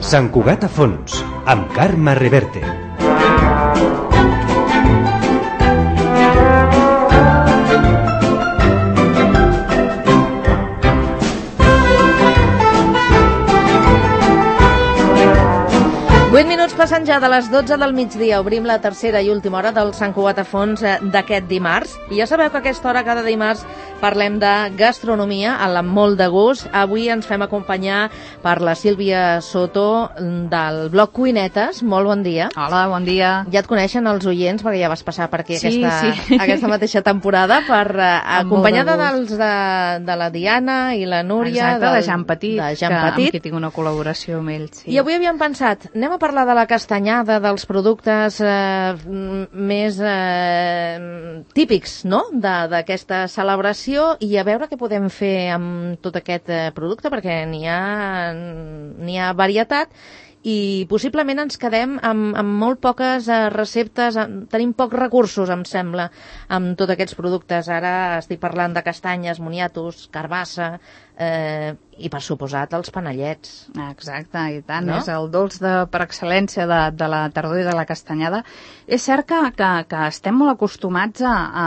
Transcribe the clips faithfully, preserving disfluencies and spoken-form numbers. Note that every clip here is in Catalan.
Sant Cugat a fons, amb Carme Reverte. vuit minuts passen ja de les dotze del migdia. Obrim la tercera i última hora del Sant Cugat a fons d'aquest dimarts. I ja sabeu que a aquesta hora, cada dimarts, parlem de gastronomia amb molt de gust. Avui ens fem acompanyar per la Sílvia Soto del blog Cuinetes. Molt bon dia. Hola, bon dia. Ja et coneixen els oients, perquè ja vas passar per aquí sí, aquesta, sí. aquesta mateixa temporada, per uh, acompanyada de dels de, de la Diana i la Núria. Exacte, del, de Jan Petit, de Jan que, Petit. amb qui tinc una col·laboració amb ells. Sí. I avui havíem pensat, anem a parlar de la castanyada, dels productes eh, més eh, típics, no?, d'aquesta celebració, i a veure què podem fer amb tot aquest eh, producte, perquè n'hi ha, n'hi ha varietat, i possiblement ens quedem amb, amb molt poques eh, receptes, amb, tenim pocs recursos, em sembla, amb tots aquests productes. Ara estic parlant de castanyes, moniatos, carbassa, eh, i per suposat els panellets. Exacte, i tant, no? És el dolç de, per excel·lència de, de la tardor i de la castanyada. És cert que, que, que estem molt acostumats a, a,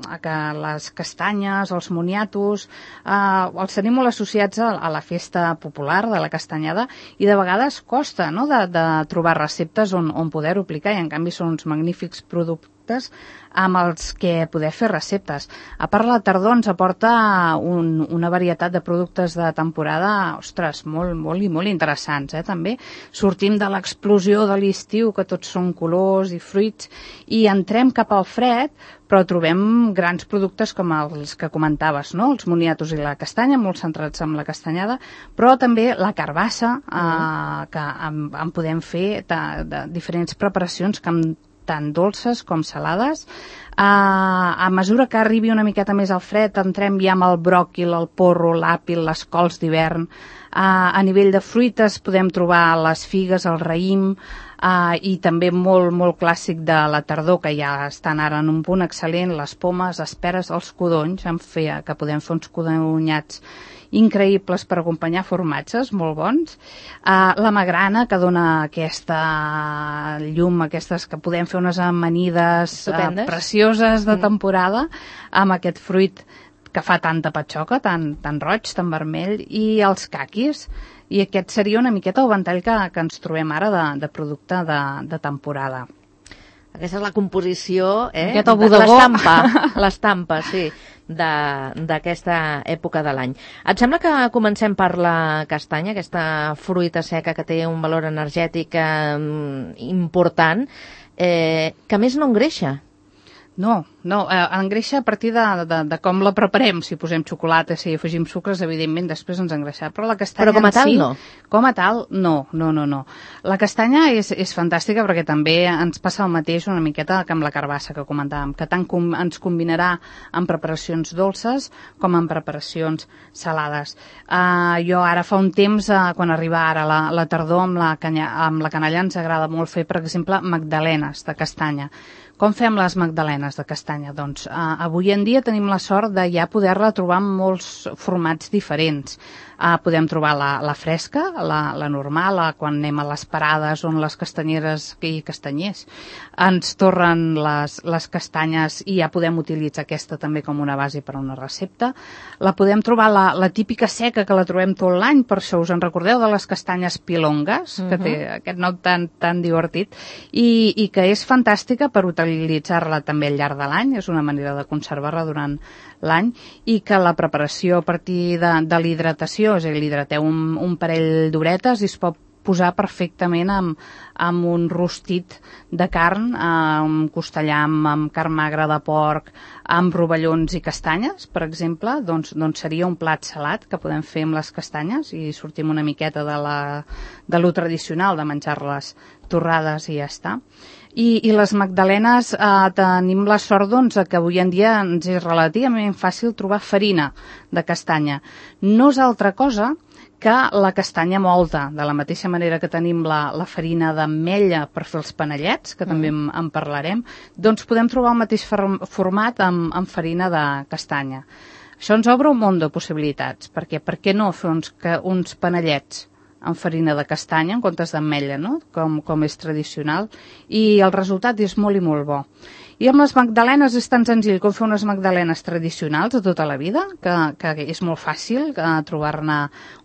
a que les castanyes, els moniatos, a, els tenim molt associats a, a la festa popular de la castanyada, i de vegades costa, no?, de, de trobar receptes on, on poder-ho aplicar, i en canvi són uns magnífics productes amb els que poder fer receptes. A part, la tardor ens aporta un, una varietat de productes de temporada, ostres, molt, molt i molt interessants, eh, també. Sortim de l'explosió de l'estiu, que tots són colors i fruits, i entrem cap al fred, però trobem grans productes com els que comentaves, no?, els moniatos i la castanya, molt centrats en la castanyada, però també la carbassa, eh, mm. que en, en podem fer de, de diferents preparacions que amb tant dolces com salades. Uh, a mesura que arribi una miqueta més al fred, entrem ja amb el bròquil, el porro, l'àpil, les cols d'hivern. Uh, a nivell de fruites podem trobar les figues, el raïm, uh, i també molt, molt clàssic de la tardor, que ja estan ara en un punt excel·lent, les pomes, les peres, els codonys, en fer, que podem fer uns codonyats increïbles per acompanyar formatges, molt bons. Uh, la magrana, que dona aquesta llum, aquestes que podem fer unes amanides uh, precioses de temporada, amb aquest fruit que fa tanta patxoca, tan, tan roig, tan vermell, i els caquis. I aquest seria una miqueta el ventall que, que ens trobem ara de, de producte de, de temporada. Aquesta és la composició, eh? L'estampa. L'estampa, sí, d'aquesta època de l'any. Et sembla que comencem per la castanya, aquesta fruita seca que té un valor energètic eh, important, eh, que més no engreixa? No, no, eh, engreixa a partir de, de, de com la preparem. Si posem xocolata, si afegim sucres, evidentment després ens engreixarà. Però la castanya Però com a tal, en si, no? Com a tal, no, no, no, no. La castanya és, és fantàstica perquè també ens passa el mateix una miqueta que amb la carbassa que comentàvem, que tant com ens combinarà en preparacions dolces com en preparacions salades. Uh, jo ara fa un temps, uh, quan arriba ara la, la tardor, amb la, canya, amb la canalla ens agrada molt fer, per exemple, magdalenes de castanya. Com fem les magdalenes de castanya? Doncs eh, avui en dia tenim la sort de ja poder-la trobar en molts formats diferents. Uh, podem trobar la, la fresca, la, la normal, la, quan anem a les parades on les castanyeres i castanyers ens torren les, les castanyes, i ja podem utilitzar aquesta també com una base per a una recepta. La podem trobar la, la típica seca, que la trobem tot l'any, per això us en recordeu de les castanyes pilongues, uh-huh. que té aquest nom tan, tan divertit, i, i que és fantàstica per utilitzar-la també al llarg de l'any, és una manera de conservar-la durant l'any, i que la preparació a partir de, de l'hidratació, és a dir, l'hidrateu un, un parell d'horetes i es pot posar perfectament amb, amb un rostit de carn, amb costellà, amb, amb carn magra de porc, amb rovellons i castanyes, per exemple, doncs, doncs seria un plat salat que podem fer amb les castanyes i sortim una miqueta de, la, de lo tradicional de menjar-les torrades i ja està. I, i les magdalenes eh, tenim la sort, doncs, que avui en dia ens és relativament fàcil trobar farina de castanya. No és altra cosa que la castanya mòlta, de la mateixa manera que tenim la, la farina d'ametlla per fer els panellets, que mm. també en, en parlarem, doncs podem trobar el mateix format amb, amb farina de castanya. Això ens obre un munt de possibilitats, perquè per què no fer uns, uns panellets amb farina de castanya en comptes d'ametlla, no? com, com és tradicional, i el resultat és molt i molt bo. I amb les magdalenes és tan senzill com fer unes magdalenes tradicionals de tota la vida, que, que és molt fàcil trobar-ne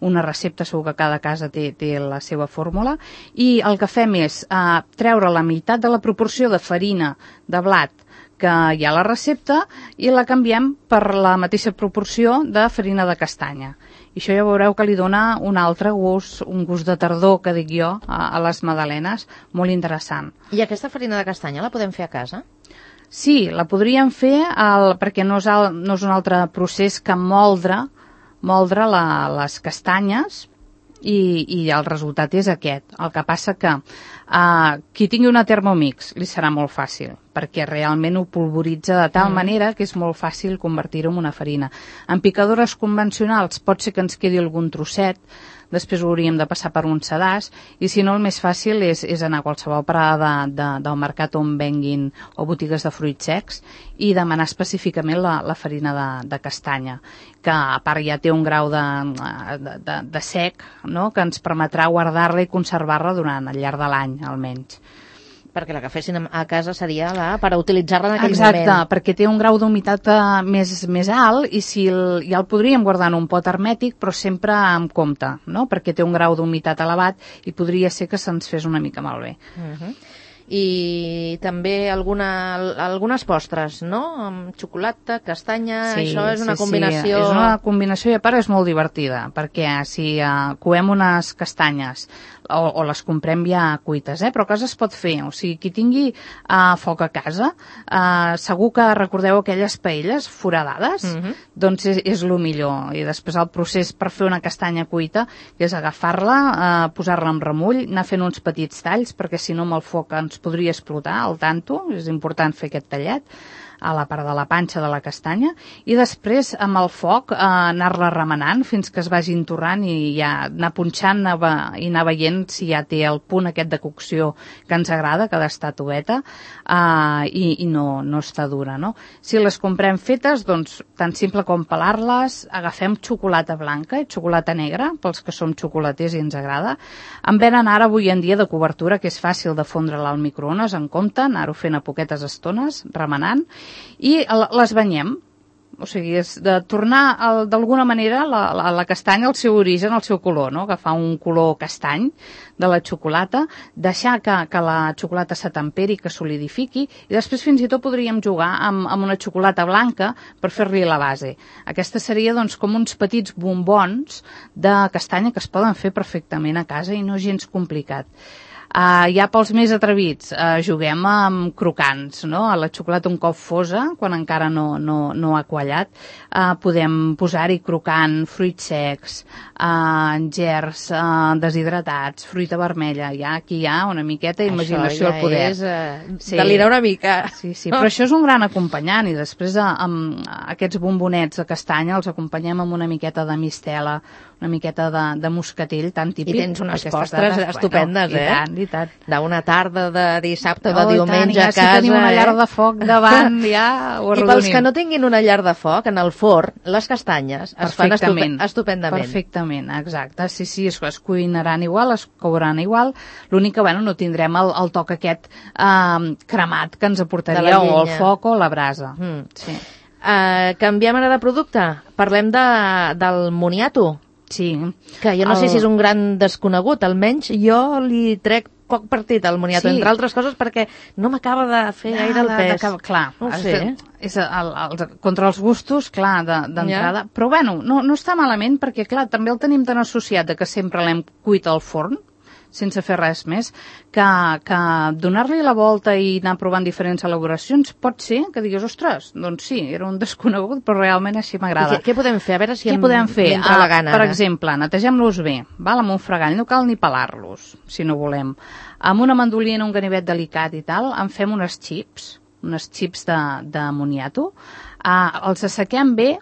una recepta, segur que cada casa té, té la seva fórmula, i el que fem és eh, treure la meitat de la proporció de farina de blat que hi ha a la recepta i la canviem per la mateixa proporció de farina de castanya. I això ja veureu que li dona un altre gust, un gust de tardor, que dic jo, a, a les magdalenes, molt interessant. I aquesta farina de castanya la podem fer a casa? Sí, la podríem fer el, perquè no és, el, no és un altre procés que moldre, moldre la, les castanyes, i, i el resultat és aquest. El que passa que uh, qui tingui una Thermomix li serà molt fàcil, perquè realment ho polvoritza de tal mm. manera que és molt fàcil convertir-ho en una farina. En picadores convencionals pot ser que ens quedi algun trosset, després ho hauríem de passar per un sedàs, i si no el més fàcil és, és anar a qualsevol parada de, de, del mercat on venguin o botigues de fruits secs i demanar específicament la, la farina de, de castanya, que a part ja té un grau de, de, de, de sec, no?, que ens permetrà guardar-la i conservar-la durant el llarg de l'any, almenys. Perquè la que fessin a casa seria la, per utilitzar-la en aquell Exacte, moment. Exacte, perquè té un grau d'humitat uh, més, més alt i si el, ja el podríem guardar en un pot hermètic, però sempre amb compte, no?, perquè té un grau d'humitat elevat i podria ser que se'ns fes una mica malbé. Uh-huh. I també alguna, algunes postres, no?, amb xocolata, castanya, sí, això és una sí, combinació... Sí, és una combinació i a part és molt divertida, perquè si uh, coem unes castanyes o, o les comprem ja cuites, eh? Però a casa es pot fer, o sigui, qui tingui uh, foc a casa, uh, segur que recordeu aquelles paelles foradades, uh-huh. doncs és, és el millor. I després el procés per fer una castanya cuita és agafar-la, uh, posar-la en remull, anar fent uns petits talls, perquè si no amb el foc ens podria explotar al tanto, és important fer aquest tallet a la part de la panxa de la castanya, i després amb el foc eh, anar-la remenant fins que es vagi entorrant i ja anar punxant i anar veient si ja té el punt aquest de cocció que ens agrada, que ha d'estar toveta eh, i, i no, no està dura, no? Si les comprem fetes, doncs tan simple com pelar-les, agafem xocolata blanca i xocolata negra, pels que som xocolaters i ens agrada. En venen ara avui en dia de cobertura, que és fàcil de fondre-la al microones, en compte, anar-ho fent a poquetes estones, remenant, i les banyem. O sigui, és de tornar d'alguna manera la, la, la castanya al seu origen, al seu color, no?, agafar un color castany de la xocolata, deixar que, que la xocolata s'atemperi, que solidifiqui, i després fins i tot podríem jugar amb, amb una xocolata blanca per fer-li la base. Aquesta seria doncs com uns petits bombons de castanya que es poden fer perfectament a casa i no és gens complicat. Uh, ja pels més atrevits, uh, juguem amb crocants, no? A la xocolata un cop fosa, quan encara no, no, no ha quallat, uh, podem posar-hi crocant, fruits secs, uh, gerds uh, deshidratats, fruita vermella. Ja aquí hi ha una miqueta d'imaginació al poder. Això ja és uh, sí. delirar una mica. Sí, sí, però això és un gran acompanyant, i després uh, amb aquests bombonets de castanya els acompanyem amb una miqueta de mistela, una miqueta de, de moscatell tan típic. I tens unes postres dates, estupendes, bueno, eh? I tant, i tant. D'una tarda de dissabte o de oh, diumenge tant, a casa. Si tenim una llar eh? de foc davant, ja ho arredonim. I pels que no tinguin una llar de foc, en el forn, les castanyes es fan estupe estupendament. Perfectament, exacte. Sí, sí, es, es cuinaran igual, es couran igual. L'únic que, bueno, no tindrem el, el toc aquest eh, cremat que ens aportaria o el foc o la brasa. Mm. Sí. Uh, canviem ara de producte. Parlem de, del moniato. Sí. Que jo no el... sé si és un gran desconegut, almenys jo li trec poc partit al moniato, sí. Entre altres coses perquè no m'acaba de fer no, gaire el pes. De, de, clar, no ho sé. De, és el, el, contra els gustos, clar, d'entrada. De, ja. Però bueno, no, no està malament perquè, clar, també el tenim tan associat de que sempre l'hem cuit al forn, sense fer res més, que, que donar-li la volta i anar provant diferents elaboracions pot ser que diguis, ostres, doncs sí, era un desconegut, però realment així m'agrada. Què, què podem fer? A veure si què em, podem fer? entra la gana. Per ara. exemple, netegem-los bé, val? Amb un fregall, no cal ni pelar-los, si no volem. Amb una mandolina, un ganivet delicat i tal, en fem unes xips, unes xips de, de moniato, uh, els assequem bé,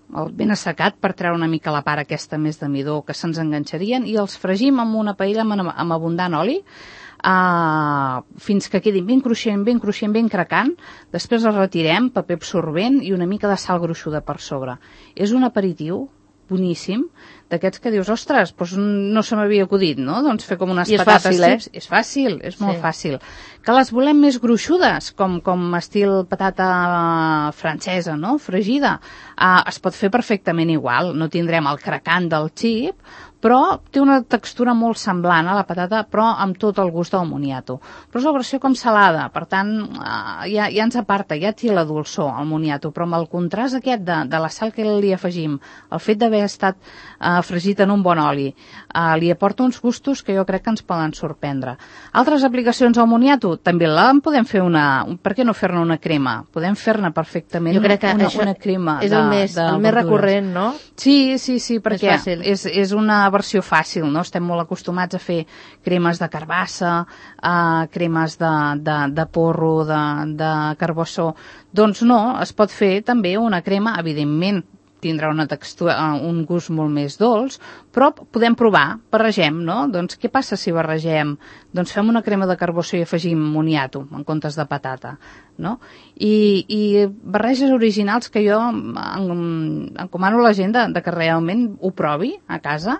ben assecat per treure una mica la part aquesta més de midó que se'ns enganxarien i els fregim amb una paella amb, amb abundant oli uh, fins que quedin ben cruixent, ben cruixent, ben cracant. Després els retirem, paper absorbent i una mica de sal gruixuda per sobre. És un aperitiu boníssim, d'aquests que dius, ostres, doncs no se m'havia acudit, no? Doncs fer com unes I és patates fàcil, eh? chips. És fàcil, és molt Sí. fàcil. Que les volem més gruixudes, com, com estil patata francesa, no? Fregida. Uh, es pot fer perfectament igual, no tindrem el cracant del xip, però té una textura molt semblant a la patata, però amb tot el gust del moniato. Però és la versió com salada, per tant, uh, ja, ja ens aparta, ja té la dolçor, el moniato, però amb el contrast aquest de, de la sal que li afegim, el fet d'haver estat uh, fregit en un bon oli, uh, li aporta uns gustos que jo crec que ens poden sorprendre. Altres aplicacions al moniato, també la podem fer una... Per què no fer-ne una crema? Podem fer-ne perfectament Jo crec que una, això una crema és de, el més, de el més verdures. recurrent, no? Sí, sí, sí, perquè fàcil. és, és una versió fàcil, no? Estem molt acostumats a fer cremes de carbassa, uh, cremes de, de, de porro, de, de carbassó. Doncs no, es pot fer també una crema, evidentment, tindrà una textura, un gust molt més dolç, però podem provar, barregem, no? Doncs què passa si barregem? Doncs fem una crema de carbossó i afegim moniato en comptes de patata, no? I, i barreges originals que jo en, encomano a la gent de, de que realment ho provi a casa,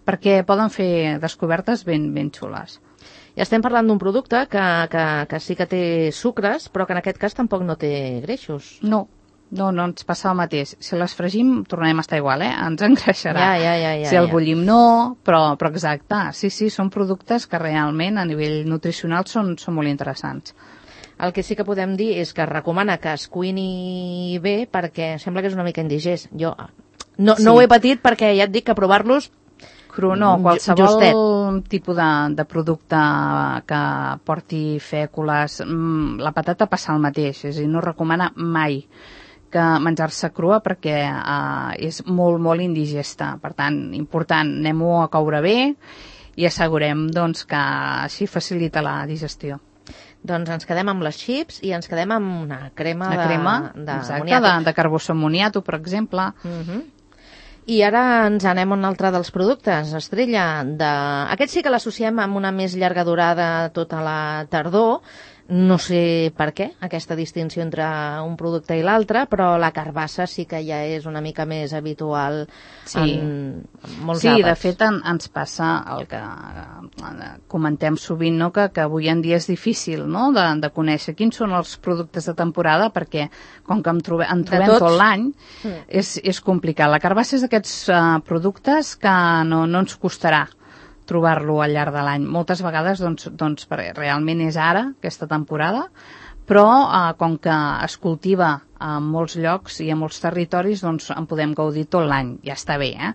perquè poden fer descobertes ben, ben xules. Ja estem parlant d'un producte que, que, que sí que té sucres, però que en aquest cas tampoc no té greixos. No, no, no ens passa el mateix. Si les fregim, tornem a estar igual, eh? Ens engreixarà. Ja, ja, ja, ja, si el ja. bullim, no, però, però exacte. Sí, sí, són productes que realment a nivell nutricional són, són molt interessants. El que sí que podem dir és que es recomana que es cuini bé perquè sembla que és una mica indigest. Jo no, Sí. no ho he patit perquè ja et dic que provar-los Cru, no, Ju- qualsevol justet. tipus de, de producte que porti fècules, mm, la patata passa el mateix, és a dir, no recomana mai que menjar-se crua perquè eh, és molt, molt indigesta. Per tant, important, anem-ho a coure bé i assegurem doncs, que així facilita la digestió. Doncs ens quedem amb les chips i ens quedem amb una crema La de, crema, de exacte, moniato. de, de carbossó moniato, per exemple. Uh-huh. I ara ens anem a un altre dels productes, Estrella. De... Aquest sí que l'associem amb una més llarga durada tota la tardor. No sé per què, aquesta distinció entre un producte i l'altre, però la carbassa sí que ja és una mica més habitual Sí. en molts Sí, àpats. de fet en, ens passa el que eh, comentem sovint, no? que, que avui en dia és difícil, no? de, de conèixer quins són els productes de temporada, perquè com que en, trobe, en trobem tots. tot l'any, Mm. és, és complicat. La carbassa és d'aquests uh, productes que no, no ens costarà trobar-lo al llarg de l'any. Moltes vegades, doncs, doncs perquè realment és ara, aquesta temporada, però eh, com que es cultiva en molts llocs i en molts territoris, doncs en podem gaudir tot l'any. Ja està bé, eh?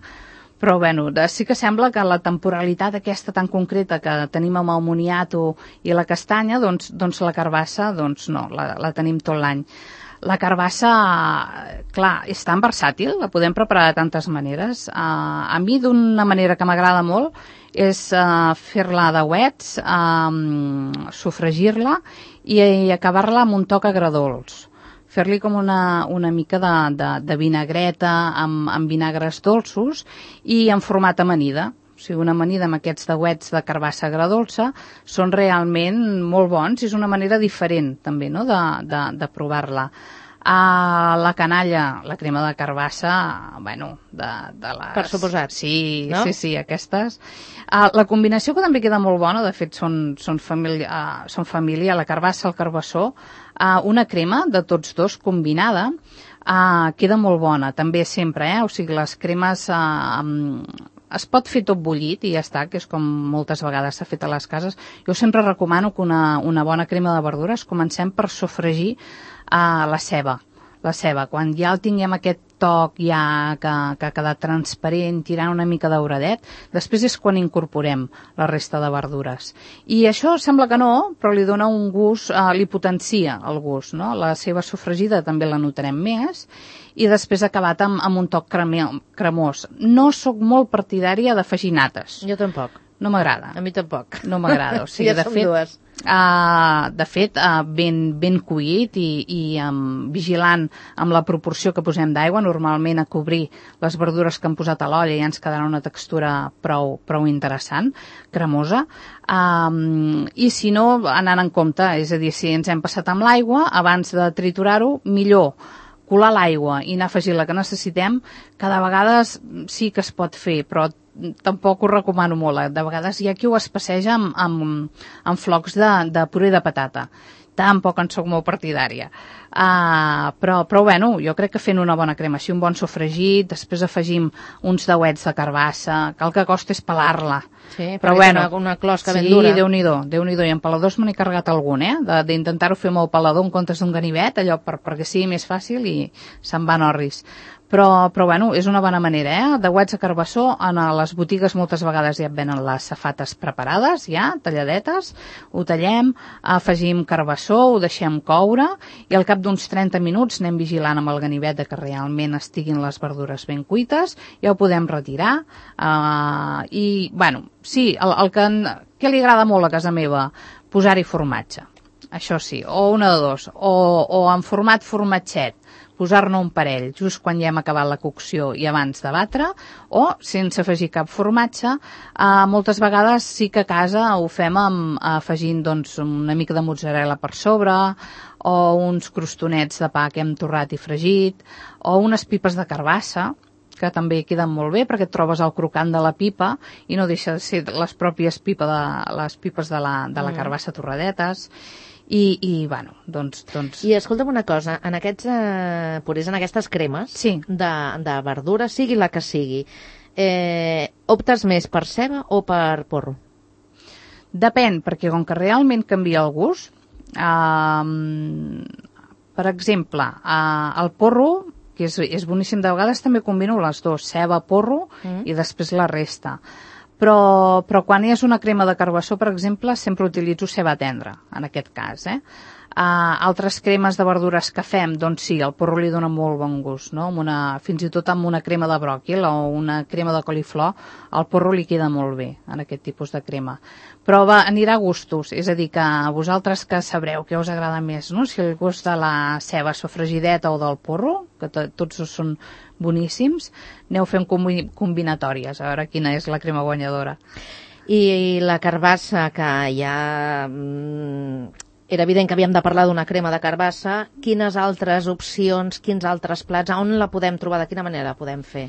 Però, bueno, de, sí que sembla que la temporalitat aquesta tan concreta que tenim amb el moniato i la castanya, doncs, doncs la carbassa, doncs no, la, la tenim tot l'any. La carbassa, clar, és tan versàtil, la podem preparar de tantes maneres. Uh, a mi, d'una manera que m'agrada molt, és uh, fer-la de ouets, um, sofregir-la i, i acabar-la amb un toc agredolç. Fer-li com una, una mica de, de, de vinagreta amb, amb vinagres dolços i en format amanida. O sigui, una amanida amb aquests deuets de carbassa agredolça són realment molt bons i és una manera diferent també, no?, de, de, de provar-la. Uh, la canalla, la crema de carbassa, bueno, de, de les... Per suposat. Sí, no? sí, sí, aquestes. Uh, la combinació que també queda molt bona, de fet són, són, família, uh, són família, la carbassa, el carbassó, uh, una crema de tots dos combinada, uh, queda molt bona, també sempre, eh? O sigui, les cremes... Uh, um, es pot fer tot bullit i ja està, que és com moltes vegades s'ha fet a les cases. Jo sempre recomano que una, una bona crema de verdures comencem per sofregir uh, la ceba. La ceba, quan ja el tinguem aquest toc ja que, que ha quedat transparent, tirant una mica dauradet, després és quan incorporem la resta de verdures. I això sembla que no, però li dona un gust, uh, li potencia el gust, no? La ceba sofregida també la notarem més, i després acabat amb, amb un toc cremós. No sóc molt partidària d'afegir nates. Jo tampoc. No m'agrada. A mi tampoc. No m'agrada. O sigui, ja de som fet, dues. Uh, de fet, uh, ben, ben cuit i, i um, vigilant amb la proporció que posem d'aigua, normalment a cobrir les verdures que hem posat a l'olla ja ens quedarà una textura prou, prou interessant, cremosa. Um, I si no, anant en compte, és a dir, si ens hem passat amb l'aigua, abans de triturar-ho, millor colar l'aigua i anar afegint la que necessitem, que de vegades sí que es pot fer, però tampoc ho recomano molt. De vegades hi ha qui ho espasseja amb, amb, amb flocs de, de puré de patata. Tampoc en soc molt partidària. Uh, però, però bueno, jo crec que fent una bona crema, així un bon sofregit, després afegim uns dauets de carbassa, que el que costa és pelar-la. Sí, però bueno, una, una closca ben sí, dura. Déu-n'hi-do, Déu-n'hi-do. I en peladors me n'he carregat algun, eh? D'intentar-ho fer amb el pelador en comptes d'un ganivet, allò per, perquè sigui més fàcil i se'n van orris. Però, però bueno, és una bona manera, eh? Dauets de carbassó, en les botigues moltes vegades ja et venen les safates preparades, ja, talladetes, ho tallem, afegim carbassó, ho deixem coure, i al cap d'uns trenta minuts anem vigilant amb el ganivet de que realment estiguin les verdures ben cuites, ja ho podem retirar, uh, i, bueno, sí, el, el que, que li agrada molt a casa meva, posar-hi formatge, això sí, o una de dos, o, o en format formatget, posar-ne un parell just quan ja hem acabat la cocció i abans de batre, o sense afegir cap formatge. Eh, moltes vegades sí que a casa ho fem amb, afegint doncs, una mica de mozzarella per sobre, o uns crostonets de pa que hem torrat i fregit, o unes pipes de carbassa, que també queden molt bé perquè et trobes el crocant de la pipa i no deixa de ser les pròpies pipa de, les pipes de la, de la carbassa torradetes. I, i bueno, doncs, doncs... I escolta'm una cosa, en aquests eh, purés, en aquestes cremes sí. de, de verdura, sigui la que sigui, eh, optes més per ceba o per porro? Depèn, perquè com que realment canvia el gust, eh, per exemple, eh, el porro, que és, és boníssim, de vegades també combino les dues, ceba, porro mm. i després la resta. Però, però quan és una crema de carbassó, per exemple, sempre utilitzo ceba tendra, en aquest cas, eh? Uh, altres cremes de verdures que fem, doncs sí, el porro li dona molt bon gust, no? Amb una, fins i tot amb una crema de bròquil o una crema de coliflor, el porro li queda molt bé en aquest tipus de crema. Però va, anirà a gustos, és a dir, que vosaltres que sabreu què us agrada més, no? Si el gust de la ceba sofregideta o del porro, que to tots són boníssims, aneu fent combi combinatòries, a veure quina és la crema guanyadora. I la carbassa, que ja... Mm, era evident que havíem de parlar d'una crema de carbassa. Quines altres opcions, quins altres plats, on la podem trobar, de quina manera la podem fer?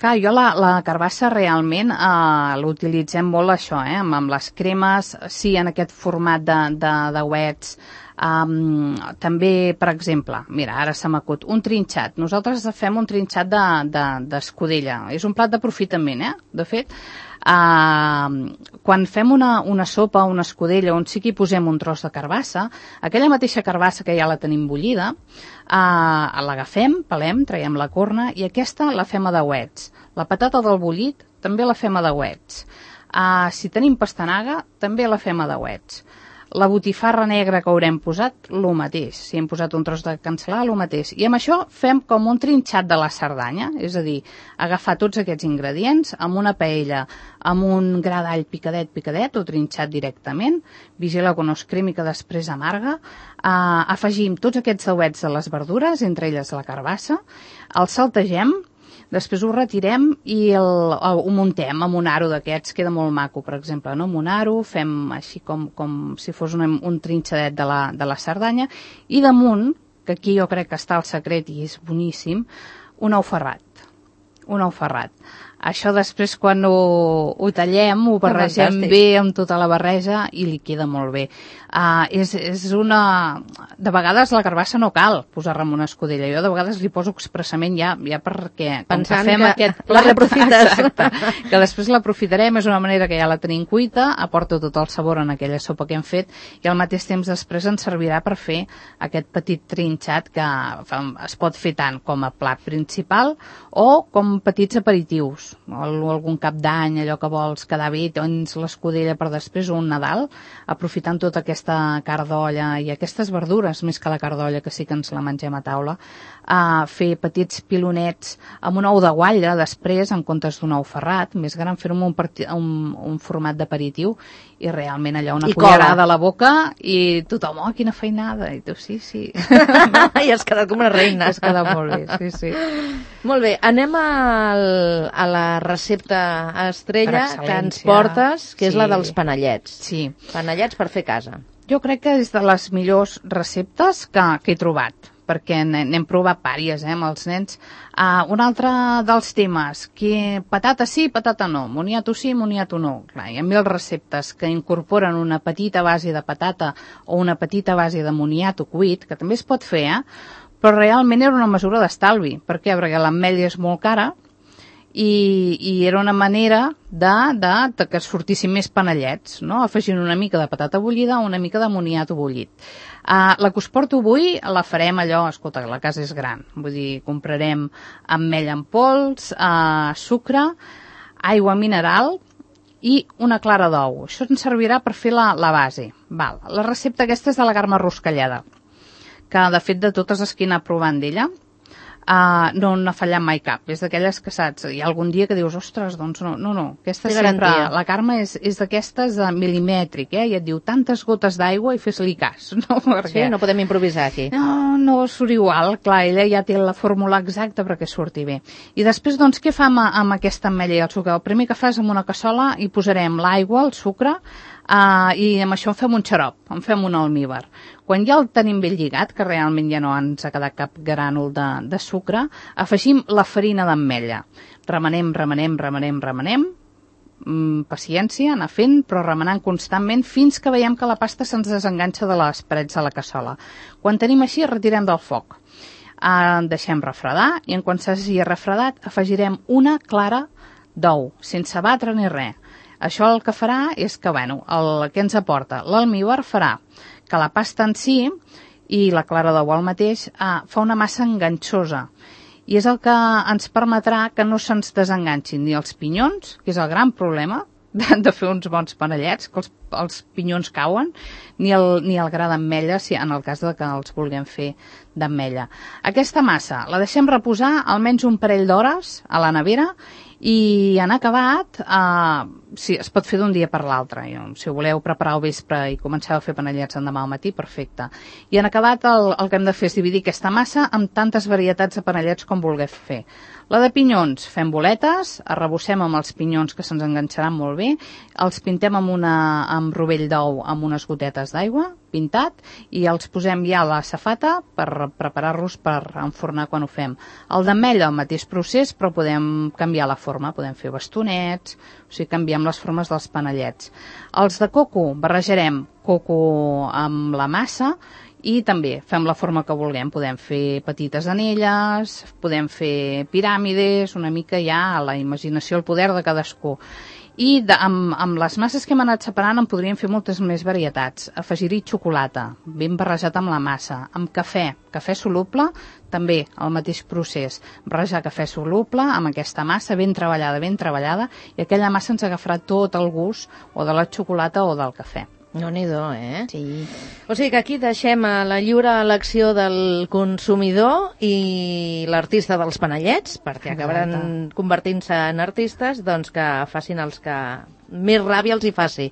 Clar, jo la, la carbassa realment eh, l'utilitzem molt això, eh, amb, amb les cremes, sí, en aquest format de, de, de wets. Um, també, per exemple, mira, ara se m'acut, un trinxat. Nosaltres fem un trinxat d'escudella. De, de, és un plat d'aprofitament, eh? De fet, uh, quan fem una, una sopa, una escudella, on sí que hi posem un tros de carbassa, aquella mateixa carbassa que ja la tenim bullida, uh, l'agafem, pelem, traiem la corna, i aquesta la fem a dauets. La patata del bullit també la fem a dauets. Uh, si tenim pastanaga, també la fem a dauets. La botifarra negra que haurem posat, el mateix. Si hem posat un tros de cancel·là, el mateix. I amb això fem com un trinxat de la Cerdanya, és a dir, agafar tots aquests ingredients amb una paella, amb un gra d'all picadet, picadet, o trinxat directament, vigila que no es cremi, que després amarga, uh, afegim tots aquests dauets de les verdures, entre elles la carbassa, el saltegem, després ho retirem i el, el, ho muntem amb un aro d'aquests, queda molt maco, per exemple, no? Amb un aro, fem així com, com si fos un, un trinxadet de la, de la Cerdanya, i damunt, que aquí jo crec que està el secret i és boníssim, un ou ferrat. Un ou ferrat. Això després quan ho, ho tallem, ho barregem Fantàstic. bé amb tota la barreja i li queda molt bé. Uh, és, és una... De vegades la carbassa no cal posar-la en una escudella. Jo de vegades li poso expressament ja, ja perquè... Pensant que fem que aquest la reaprofites. Exacte. Que després l'aprofitarem, és una manera que ja la tenim cuita, aporta tot el sabor en aquella sopa que hem fet i al mateix temps després ens servirà per fer aquest petit trinxat que es pot fer tant com a plat principal o com petits aperitius. O algun cap d'any, allò que vols quedar bé, tens l'escudella per després o un Nadal, aprofitant tota aquesta carn d'olla i aquestes verdures, més que la carn d'olla, que sí que ens la mengem a taula, a fer petits pilonets amb un ou de guatlla després, en comptes d'un ou ferrat, més gran, fer-ho amb un, un, un format d'aperitiu i realment allò una cullerada a la boca i tothom, oh, quina feinada, i tu sí, sí. I has quedat com una reina. Has quedat molt bé, sí, sí. Molt bé, anem al, a la recepta estrella que ens portes, que sí. És la dels panellets. Sí. Panellets per fer a casa. Jo crec que és de les millors receptes que, que he trobat, perquè n'hem provat pàries, eh, amb els nens. Uh, un altre dels temes, que patata sí, patata no, moniato sí, moniato no. Clar, hi ha mil receptes que incorporen una petita base de patata o una petita base de moniato cuit, que també es pot fer, eh? Però realment era una mesura d'estalvi. Per què? Perquè l'ametlla és molt cara, I, i era una manera de, de, de que sortissin més panellets, no? Afegint una mica de patata bullida o una mica de moniato bullit. Uh, la que us porto avui la farem allò, escolta, la casa és gran, vull dir, comprarem ametlla en pols, uh, sucre, aigua mineral i una clara d'ou. Això ens servirà per fer la, la base. Val. La recepta aquesta és de la Carme Ruscalleda, que de fet de totes les que he anat provant d'ella, Uh, no n'ha fallat mai cap. És d'aquelles que saps, hi ha algun dia que dius, ostres, doncs no, no, no. Aquesta sempre, la Carme és, és d'aquestes de milimètric, eh? I et diu tantes gotes d'aigua i fes-li cas. No? Perquè... Sí, no podem improvisar aquí. No, no surt igual, clar, ella ja té la fórmula exacta perquè surti bé. I després, doncs, què fa amb, amb aquesta ametlla i el sucre? El primer que fa és amb una cassola hi posarem l'aigua, el sucre, Uh, i amb això en fem un xarop, en fem un almíbar. Quan ja el tenim ben lligat, que realment ja no ens ha quedat cap grànol de, de sucre, afegim la farina d'ametlla. Remenem, remenem, remenem, remenem, mm, paciència, anar fent, però remenant constantment fins que veiem que la pasta se'ns desenganxa de les parets de la cassola. Quan tenim així, retirem del foc. Uh, deixem refredar i en quan s'hagi refredat afegirem una clara d'ou, sense batre ni res. Això el que farà és que, bueno, el que ens aporta l'almíbar farà que la pasta en si i la clara d'ou al mateix eh, fa una massa enganxosa i és el que ens permetrà que no se'ns desenganxin ni els pinyons, que és el gran problema de, de fer uns bons panellets, que els, els pinyons cauen, ni el, ni el gra d'ametlla, si en el cas de que els vulguem fer d'ametlla. Aquesta massa la deixem reposar almenys un parell d'hores a la nevera i en acabat, eh, sí, es pot fer d'un dia per l'altre. Si ho voleu preparar al vespre i comenceu a fer panellets l'endemà al matí, perfecte. I en acabat el, el que hem de fer és dividir aquesta massa amb tantes varietats de panellets com vulgueu fer. La de pinyons, fem boletes, arrebossem amb els pinyons que se'ns enganxaran molt bé, els pintem amb, una, amb rovell d'ou amb unes gotetes d'aigua, pintat, i els posem ja a la safata per preparar-los per enfornar quan ho fem. El d'ametlla, el mateix procés, però podem canviar la forma, podem fer bastonets, o sigui, canviem les formes dels panellets. Els de coco, barrejarem coco amb la massa i també fem la forma que vulguem. Podem fer petites anelles, podem fer piràmides, una mica ja a la imaginació, el poder de cadascú. I de, amb, amb les masses que hem anat separant en podríem fer moltes més varietats. Afegir-hi xocolata, ben barrejat amb la massa, amb cafè, cafè soluble, també el mateix procés. Barrejar cafè soluble amb aquesta massa ben treballada, ben treballada, i aquella massa ens agafarà tot el gust o de la xocolata o del cafè. No-n'hi-do, eh? Sí. O sigui que aquí deixem a la lliure elecció del consumidor i l'artista dels panellets, perquè acabaran convertint-se en artistes, doncs que facin els que més ràbia els hi faci.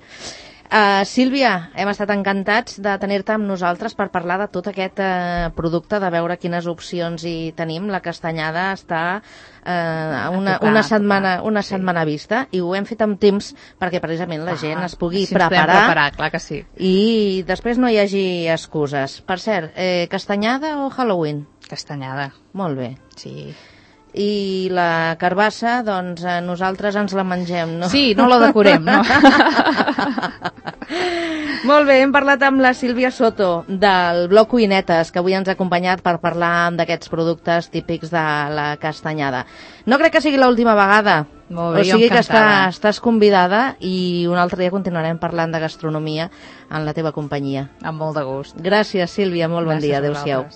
Uh, Sílvia, hem estat encantats de tenir-te amb nosaltres per parlar de tot aquest uh, producte, de veure quines opcions hi tenim. La castanyada està uh, una, tocar, una setmana, una sí. setmana vista i ho hem fet amb temps perquè precisament la ah, gent es pugui preparar, preparar clar que sí. I després no hi hagi excuses. Per cert, eh, castanyada o Halloween? Castanyada. Molt bé. Sí. I la carbassa, doncs eh, nosaltres ens la mengem, no? Sí, no la decorem, no? Molt bé, hem parlat amb la Sílvia Soto del blog Cuinetes, que avui ens ha acompanyat per parlar d'aquests productes típics de la castanyada. No crec que sigui l'última vegada. Molt bé, o sigui que està, estàs convidada i un altre dia continuarem parlant de gastronomia en la teva companyia. Amb molt de gust. Gràcies, Sílvia, molt bon dia. Adéu-siau.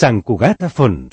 Sant Cugat a fons.